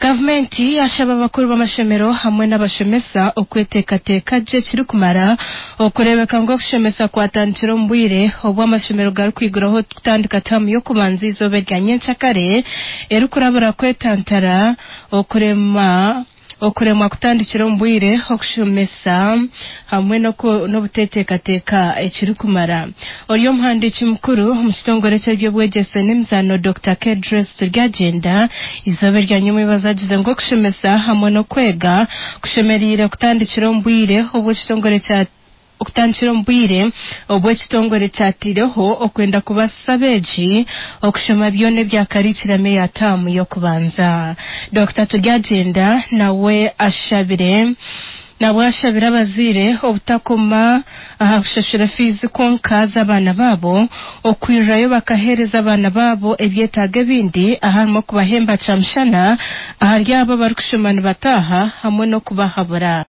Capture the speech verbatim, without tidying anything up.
Gavumenti yashaba abakuru b'amashomero hamwe n'abashomesa okweteekateeka gye kirikumara okureebeka ngu okushomesa kwatandikira omu bwire obu amashomero garikwiguraho kutandika taamu y'okubanza eizooba erya nyenkyakare erikurabura kwetantara okurema okuremwa kutandikira omu bwire okushomesa hamwe n'obuteteekateeka ekirikumara. Ori omuhandiiki mukuru omu kitongore ky'ebyobwegyese n'emizaano Dokita Kedrace Turyagyenda eizooba erya nyomwebazo agize ngu okushomesa hamwe n'okwega kushemereire kutandikira omu bwire obu ekitongore kya okutandikira omu bwire obu ekitongore kyataireho okwenda kubaasisa abeegi okushoma byona ebya karikiramu eya taamu y'okubanza. Dokita Turyagyenda nawe ashabire nabwo ashabire abazaire obutakoma aha kushashura fiizi kwonka z'abaana baabo okwirirayo bakaheereza abaana baabo ebyetaago ebindi aharimu okubahemba kyamushana ahari abo abarikushoma nibataaha hamwe n'okubahabura.